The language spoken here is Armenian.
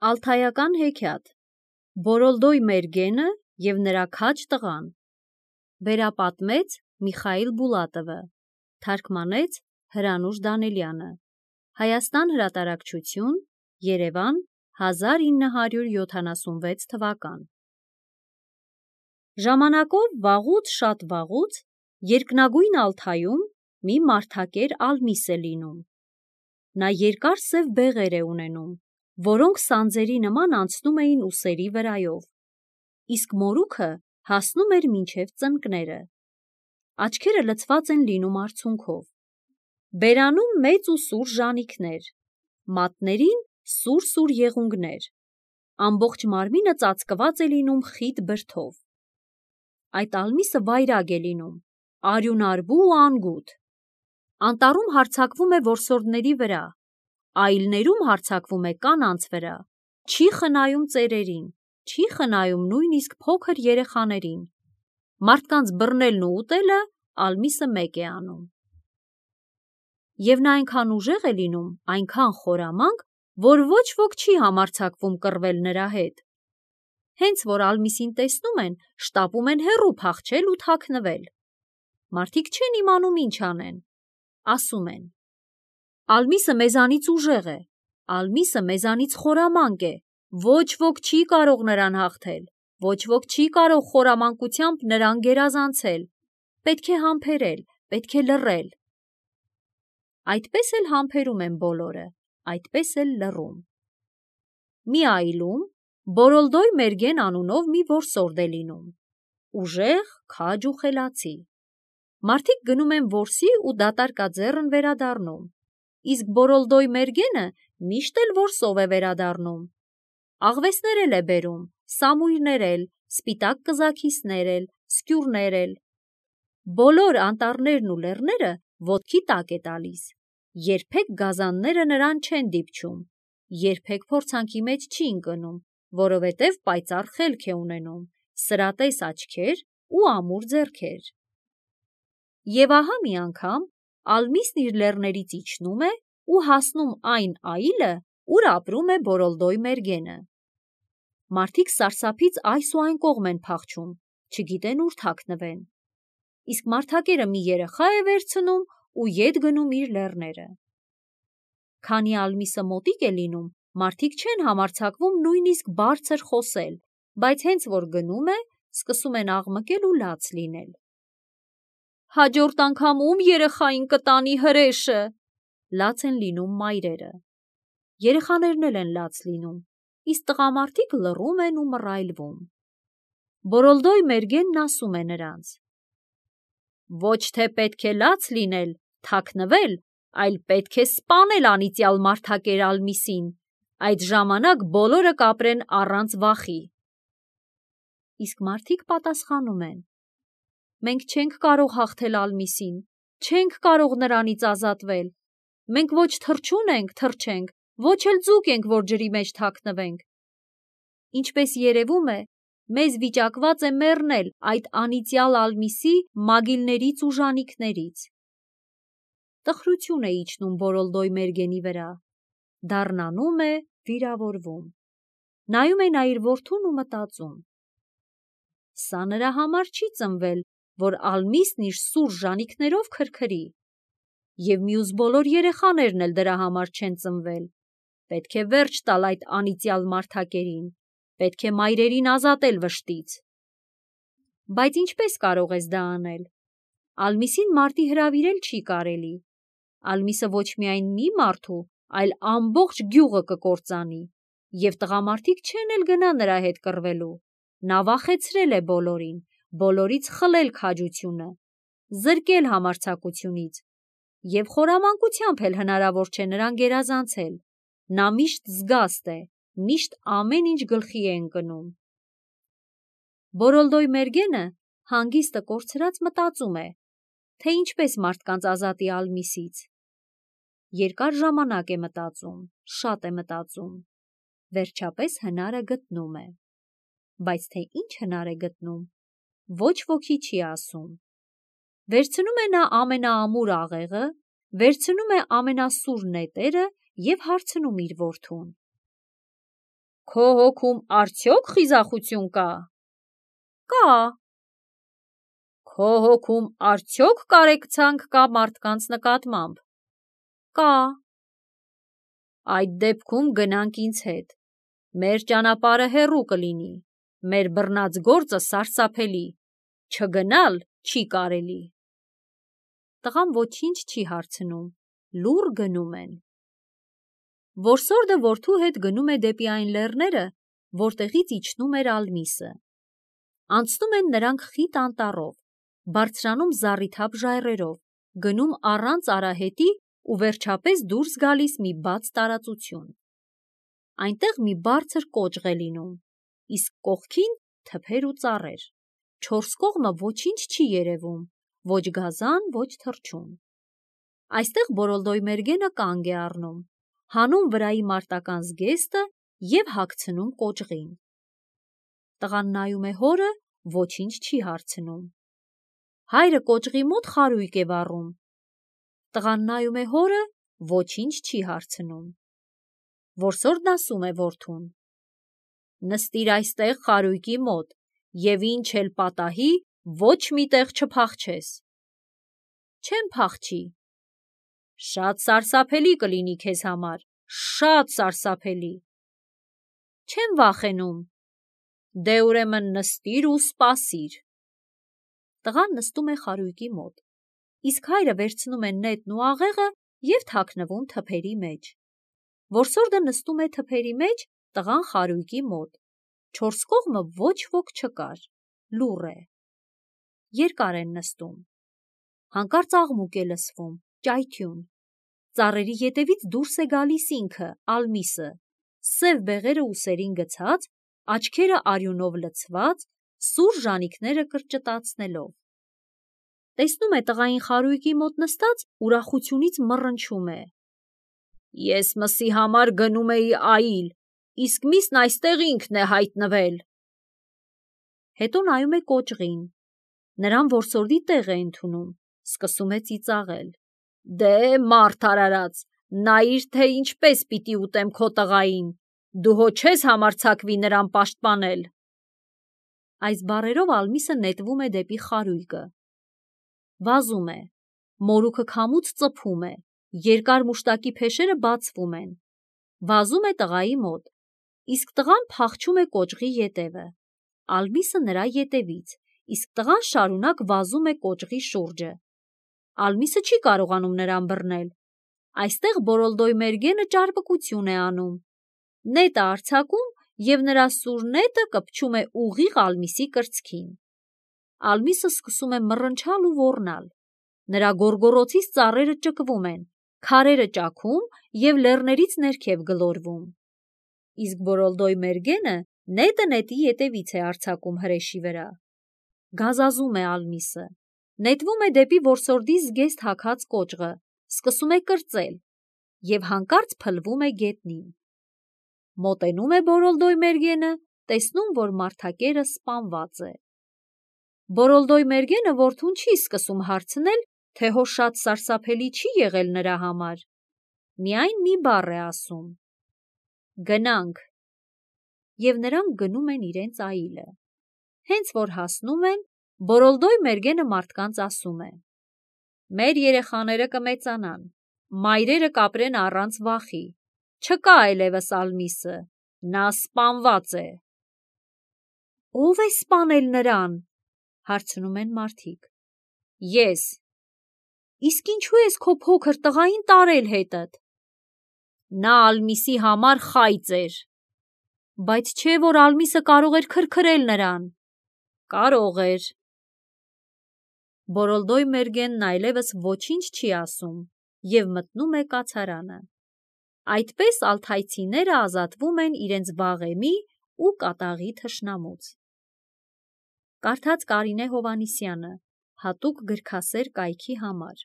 Ալթայական հեքիաթ Բորոլդոյ Մերգենը և նրա քաջ տղան Վերապատմեց Միխայիլ Բուլատովը Թարգմանեց Հրանուշ Դանելյանը Հայաստան հրատարակչություն Երևան 1976 թվական Ժամանակով վաղուց շատ վաղուց երկնագույն Ալթայում մի մարդակեր Ալմիս է լինում Նա երկար սև բեղեր է ունենում որոնք սանձերի նման անցնում էին ուսերի վրայով, իսկ մորուքը հասնում էր մինչև ծնկները, աչքերը լցված են լինում արցունքով, բերանում մեծ ու սուր ժանիքներ, մատներին սուր եղունգներ, ամբողջ մարմինը ծածկված է լինում խիտ բրդով, այդ Ալմիսը վայրագ է լինում, արյունարբու ու անգութ, անտառում հարձակվում է որսորդների վրա, այլներում հարձակվում է կանանց վրա, չի խնայում ծերերին, չի խնայում նույնիսկ փոքր երեխաներին, մարդկանց բռնելն ու ուտելը Ալմիսը մեկ է անում։ Եվ նա այնքան ուժեղ է լինում, այնքան խորամանկ, որ ոչ ոք չի համարձակվում կռվել նրա հետ։ Հենց որ Ալմիսին տեսնում են, շտապում են հեռու փախչել ու թաքնվել։ Մարդիկ չեն իմանում ինչ անեն, ասում են. Ալմիսը մեզանից ուժեղ է, Ալմիսը մեզանից խորամանկ է, ոչ ոք չի կարող նրան հաղթել, ոչ ոք չի կարող խորամանկությամբ նրան գերազանցել, պետք է համբերել, պետք է լռել։ Այդպես էլ համբերում են բոլորը, այդպես էլ լռում։ Մի այլում Բորոլդոյ Մերգեն անունով մի որսորդ է լինում, ուժեղ, քաջ ու խելացի։ Մարդիկ գնում են որսի ու դատարկաձեռն վերադառնում, իսկ Բորոլդոյ Մերգենը միշտ էլ որսով է վերադառնում։ Աղվեսներ էլ է բերում, սամույրներ էլ, սպիտակ կզաքիսներ էլ, սկյուրներ էլ։ Բոլոր անտառներն ու լեռները ոտքի տակ է տալիս, երբեք գազանները նրան չեն դիպչում, երբեք փորձանքի մեջ չի ընկնում, որովհետև պայծառ խելք է ունենում, սրատես աչքեր ու ամուր ձեռքեր։ Եվ ահա մի անգամ Ալմիսն իր լեռներից իջնում է ու հասնում այն այլը, ուր ապրում է Բորոլդոյ Մերգենը։ Մարդիկ սարսափից այս ու այն կողմ են փախչում, չգիտեն ուր թաքնվեն, իսկ մարդակերը մի երեխա է վերցնում ու ետ գնում իր լեռները։ Քանի Ալմիսը մոտիկ է լինում, մարդիկ չեն համարձակվում նույնիսկ բարձր խոսել, բայց հենց որ գնում է, սկսում են աղմկել ու լաց լինել։ Հաջորդ անգամ ում երեխային կտանի հրեշը, լաց են լինում մայրերը։ Երեխաներն էլ են լաց լինում, իսկ տղամարդիկ լռում են ու մռայլվում։ Բորոլդոյ Մերգենն ասում է նրանց. Ոչ թե պետք է լաց լինել, թաքնվել, այլ պետք է սպանել անիծյալ մարդակեր Ալմիսին, այդ ժամանակ բոլորը կապրեն առանց վախի։ Իսկ մարդիկ պատասխանում են. Մենք չենք կարող հաղթել Ալմիսին, չենք կարող նրանից ազատվել, մենք ոչ թռչուն ենք թռչենք, ոչ էլ ձուկ ենք, որ ջրի մեջ թաքնվենք։ Ինչպես երևում է, մեզ վիճակված է մեռնել այդ անիծյալ Ալմիսի մագիլներից ու ժանիքներից։ Տխրություն է իջնում Բորոլդոյ Մերգենի վրա, դառնանում է, վիրավորվում։ Նայում է նա իր որդուն ու մտածում. Սա նրա համար չի ծնվել, որ Ալմիսն իր սուր ժանիքներով քրքրի, և մյուս բոլոր երեխաներն էլ դրա համար չեն ծնվել։ Պետք է վերջ տալ այդ անիծյալ մարդակերին, պետք է մայրերին ազատել վշտից։ Բայց ինչպես կարող ես դա անել։ Ալմիսին մարտի հրավիրել չի կարելի։ Ալմիսը ոչ միայն մի մարդու, այլ ամբողջ գյուղը կկործանի, և տղամարդիկ չեն էլ գնա նրա հետ կռվելու։ Նա վախեցրել է բոլորին, բոլորից խլել քաջությունը, զրկել համարձակությունից, և խորամանկությամբ էլ հնարավոր չէ նրան գերազանցել։ Նա միշտ զգաստ է, միշտ ամեն ինչ գլխի է ընկնում։ Բորոլդոյ Մերգենը հանգիստը կորցրած մտածում է, թե ինչպես մարդկանց ազատի Ալմիսից։ Երկար ժամանակ է մտածում, շատ է մտածում, վերջապես հնարը գտնում է։ Բայց թե ինչ հնար է գտնում, ոչ ոքի չի ասում։ Վերցնում է նա ամենաամուր աղեղը, վերցնում է ամենասուր նետերը և հարցնում իր որդուն. Քո հոգում արդյոք խիզախություն կա։ Կա։ Քո հոգում արդյոք կարեկցանք կա մարդկանց նկատմամբ։ Կա։ Այդ դեպքում գնանք ինձ հետ։ Մեր ճանապարհը հեռու կլինի, մեր բռնած գործը սարսափելի, չգնալ չի կարելի։ Տղան ոչինչ չի հարցնում, լուռ գնում են։ Որսորդը որդու հետ գնում է դեպի այն լեռները, որտեղից իջնում էր Ալմիսը։ Անցնում են նրանք խիտ անտառով, բարձրանում զառիթափ ժայռերով, գնում առանց արահետի ու վերջապես դուրս գալիս մի բաց տարածություն։ Այնտեղ մի բարձր կոճղ է լինում, իսկ կողքին թփեր ու ծառեր։ Չորս կողմը ոչինչ չի երևում, ոչ գազան, ոչ թռչուն։ Այստեղ Բորոլդոյ կանգ է առնում, հանում վրայի մարտական զգեստը և հագցնում կոճղին։ Տղան նայում է հորը, ոչինչ չի հարցնում։ Հայրը կոճղի մոտ խարույկ է վառում։ Տղան նայում է հորը, ոչինչ չի հարցնում։ Որսորդն ասում է որդուն. նստիր այստեղ խարույկի մոտ և ինչ էլ պատահի, ոչ մի տեղ չփախչես։ Չեմ փախչի։ Շատ սարսափելի կլինի քեզ համար, շատ սարսափելի։ Չեմ վախենում։ Դե ուրեմն նստիր ու սպասիր։ Տղան նստում է խարույկի մոտ, իսկ հայրը վերցնում է նետն ու աղեղը և թաքնվում թփերի մեջ։ Որսորդը նստում է թփերի մեջ, տղան խարույկի մոտ։ Չորս կողմը ոչ ոք չկար, լուռ է։ Երկար են նստում։ Հանկարծ աղմուկ է լսվում, ճայթյուն։ Ծառերի ետևից դուրս է գալիս ինքը, Ալմիսը, սև բեղերը ուսերին գցած, աչքերը արյունով լցված, սուր ժանիքները կրճտացնելով։ Տեսնում է տղային խարույկի մոտ նստած, ուրախությունից մռնչում է։ Ես մսի համար գնում էի այլ, իսկ միսն այստեղ ինքն է հայտնվել։ Հետո նայում է կոճղին։ Նրան որսորդի տեղ է ընդունում, սկսում է ծիծաղել։ Դե մարդ արարած, նայիր, թե ինչպես պիտի ուտեմ քո տղային, դու հո չես համարձակվի նրան պաշտպանել։ Այս բառերով Ալմիսը նետվում է դեպի խարույկը։ Վազում է, մորուքը քամուց ծփում է, երկար մուշտակի փեշերը բացվում են։ Վազում է տղայի մոտ, իսկ տղան փախչում է կոճղի ետևը։ Ալմիսը նրա ետևից, իսկ տղան շարունակ վազում է կոճղի շուրջը։ Ալմիսը չի կարողանում նրան բռնել։ Այստեղ Բորոլդոյ ճարպկություն է անում։ Նետը արձակում և նրա սուր նետը կպչում է ուղիղ Ալմիսի կրծքին։ Ալմիսը սկսում է մռնչալ ու ոռնալ։ Նրա գոռգոռոցից ծառերը ճկվում են, քարերը ճաքում և լեռներից ներքև գլորվում։ Իսկ Բորոլդոյ նետը նետի ետևից է արձակում հրեշի վրա։ Գազազում է Ալմիսը, նետվում է դեպի որսորդի զգեստ հագած կոճղը, սկսում է կրծել և հանկարծ փլվում է գետնին։ Մոտենում է Բորոլդոյ տեսնում, որ մարդակերը սպանված է։ Բորոլդոյ որդուն չի սկսում հարցնել, թե հո շատ սարսափելի չի եղել նրա համար։ Միայն մի բառ է ասում. գնանք։ Եվ նրանք գնում են իրենց այլը։ Հենց որ հասնում են, Բորոլդոյ մարդկանց ասում է. մեր երեխաները կմեծանան, մայրերը կապրեն առանց վախի, չկա այլևս Ալմիսը, նա սպանված է։ Ո՞վ է սպանել նրան, հարցնում են մարդիկ։ Ես։ Իսկ ինչու ես քո փոքր տղային տարել հետդ։ Նա Ալմիսի համար խայծ էր։ Բայց չէ՞ որ Ալմիսը կարող էր քրքրել նրան։ Կարող էր։ Բորոլդոյ այլևս ոչինչ չի ասում և մտնում է կացարանը։ Այդպես ալթայցիները ազատվում են իրենց վաղեմի ու կատաղի թշնամուց։ Կարդաց Կարինե Հովհաննիսյանը, հատուկ գրքասեր կայքի համար։